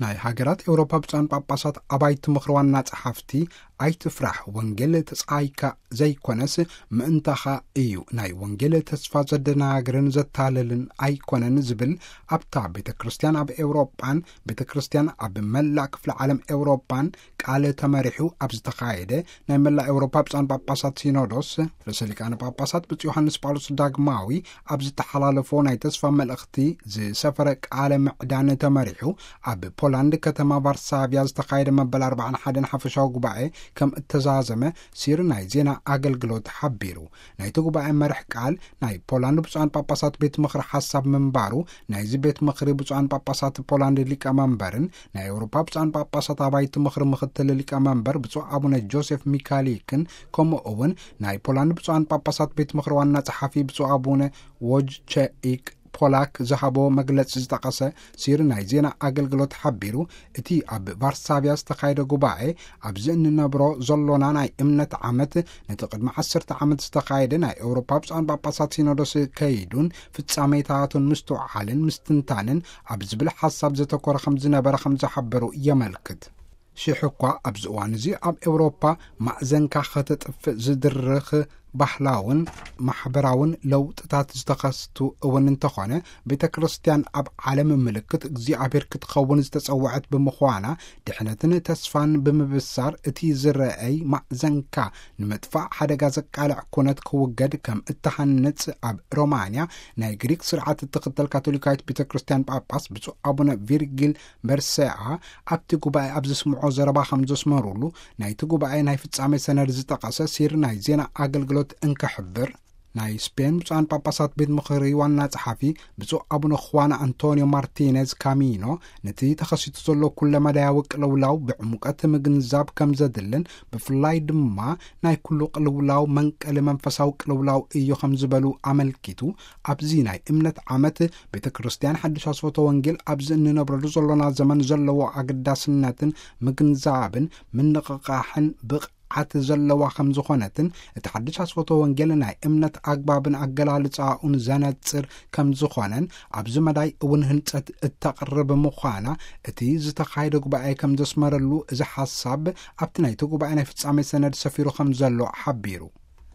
ናይ ሃገራት ኤውሮፓ ብፁዓን ጳጳሳት ኣባይቲ ምኽሪ ዋና ጸሓፍቲ፣ "ኣይትፍራሕ፣ ወንጌል ተጻይካ ዘይኮነስ ምእንታኻ እዩ፣ ናይ ወንጌል ተስፋ ዘደናግርን ዘታልልን ኣይኮነን" ዝብል ኣብታ ቤተ ክርስቲያን ኣብ ኤውሮጳን ቤተ ክርስቲያን ኣብ መላእ ክፍለ ዓለም ኤውሮጳን ቃል ተመሪሑ ኣብ ዝተኻየደ ናይ መላእ ኤውሮፓ ብፁዓን ጳጳሳት ሲኖዶስ፣ ርእሰ ሊቃነ ጳጳሳት ብፁዕ ዮሃንስ ጳውሎስ ዳግማዊ ኣብ ዝተሓላለፎ ናይ ተስፋ መልእኽቲ ዝሰፈረ ቃለ ምዕዳን ተመሪሑ፣ ኣብ ፖላንድ ከተማ ቫርሳቪያ ዝተኻየደ መበል ኣርባዓን ሓደን ሓፈሻዊ ጉባኤ ከም እተዛዘመ ሲር ናይ ዜና ኣገልግሎት ሓቢሩ። ናይቲ ጉባኤ መርሕ ቃል ናይ ፖላንድ ብፁዓን ጳጳሳት ቤት ምኽሪ ሓሳብ ምንባሩ፣ ናይዚ ቤት ምኽሪ ብፁዓን ጳጳሳት ፖላንድ ሊቀመንበርን ናይ ኤውሮፓ ብፁዓን ጳጳሳት ኣባይቲ ምኽሪ ምኽትል ሊቀመንበር ብፁዕ ኣቡነ ጆሴፍ ሚካሊክን፣ ከምኡ እውን ናይ ፖላንድ ብፁዓን ጳጳሳት ቤት ምኽሪ ዋና ጸሓፊ ብፁዕ ኣቡነ ዎጅቸኢክ ፖላክ ዝሃቦ መግለጺ ዝጠቐሰ ሲር ናይ ዜና ኣገልግሎት ሓቢሩ፣ እቲ ኣብ ቫርሳቪያ ዝተኻየደ ጉባኤ፣ ኣብዚ እንነብሮ ዘሎና ናይ እምነት ዓመት፣ ነቲ ቅድሚ ዓሰርተ ዓመት ዝተኻየደ ናይ ኤውሮፓ ብፁዓን ጳጳሳት ሲኖዶስ ከይዱን ፍጻሜታቱን ምስትውዓልን ምስትንታንን ኣብ ዝብል ሓሳብ ዘተኮረ ከም ዝነበረ ከም ዝሓበሩ የመልክት። ሽሕ እኳ ኣብዚ እዋን እዚ ኣብ ኤውሮፓ ማእዘንካ ከተጥፍእ ዝድርኽ ባህላውን ማሕበራውን ለውጥታት ዝተኸስቱ እውን እንተኾነ፣ ቤተ ክርስቲያን ኣብ ዓለም ምልክት እግዚኣብሔር ክትኸውን ዝተጸውዐት ብምዃና፣ ድሕነትን ተስፋን ብምብሳር፣ እቲ ዝረአይ ማእዘንካ ንምጥፋእ ሓደጋ ዘቃልዕ ኩነት ክውገድ ከም እተሃንጽ ኣብ ሮማንያ ናይ ግሪክ ስርዓት እትኽተል ካቶሊካዊት ቤተ ክርስቲያን ጳጳስ ብፁዕ ኣቡነ ቪርጊል በርሰኣ ኣብቲ ጉባኤ ኣብ ዘስምዖ ዘረባ ከም ዘስመሩሉ፣ ናይቲ ጉባኤ ናይ ፍጻሜ ሰነድ ዝጠቐሰ ሲር ናይ ዜና ኣገልግሎት እንክሕብር፣ ናይ ስፔን ብፁዓን ጳጳሳት ቤት ምኽሪ ዋና ጸሓፊ ብፁዕ ኣቡነ ኹዋን ኣንቶኒዮ ማርቲኔዝ ካሚኖ፣ ነቲ ተኸሲቱ ዘሎ ኩለመዳያዊ ቅልውላው ብዕሙቀት ምግንዛብ ከም ዘድልን፣ ብፍላይ ድማ ናይ ኩሉ ቅልውላው መንቀሊ መንፈሳዊ ቅልውላው እዩ ከም ዝበሉ ኣመልኪቱ፣ ኣብዚ ናይ እምነት ዓመት ቤተ ክርስቲያን ሓድሽ ኣስፈቶ ወንጌል ኣብዚ እንነብረሉ ዘሎና ዘመን ዘለዎ ኣገዳስነትን ምግንዛብን ምንቕቓሕን ብቕዓት ዘለዋ ከም ዝኾነትን፣ እቲ ሓድሽ ኣስፈቶ ወንጌል ናይ እምነት ኣግባብን ኣገላልጻኡን ዘነጽር ከም ዝኾነን፣ ኣብዚ መዳይ እውን ህንጸት እተቕርብ ምዃና፣ እቲ ዝተኻየደ ጉባኤ ከም ዘስመረሉ፣ እዚ ሓሳብ ኣብቲ ናይቲ ጉባኤ ናይ ፍጻሜ ሰነድ ሰፊሩ ከም ዘሎ ሓቢሩ።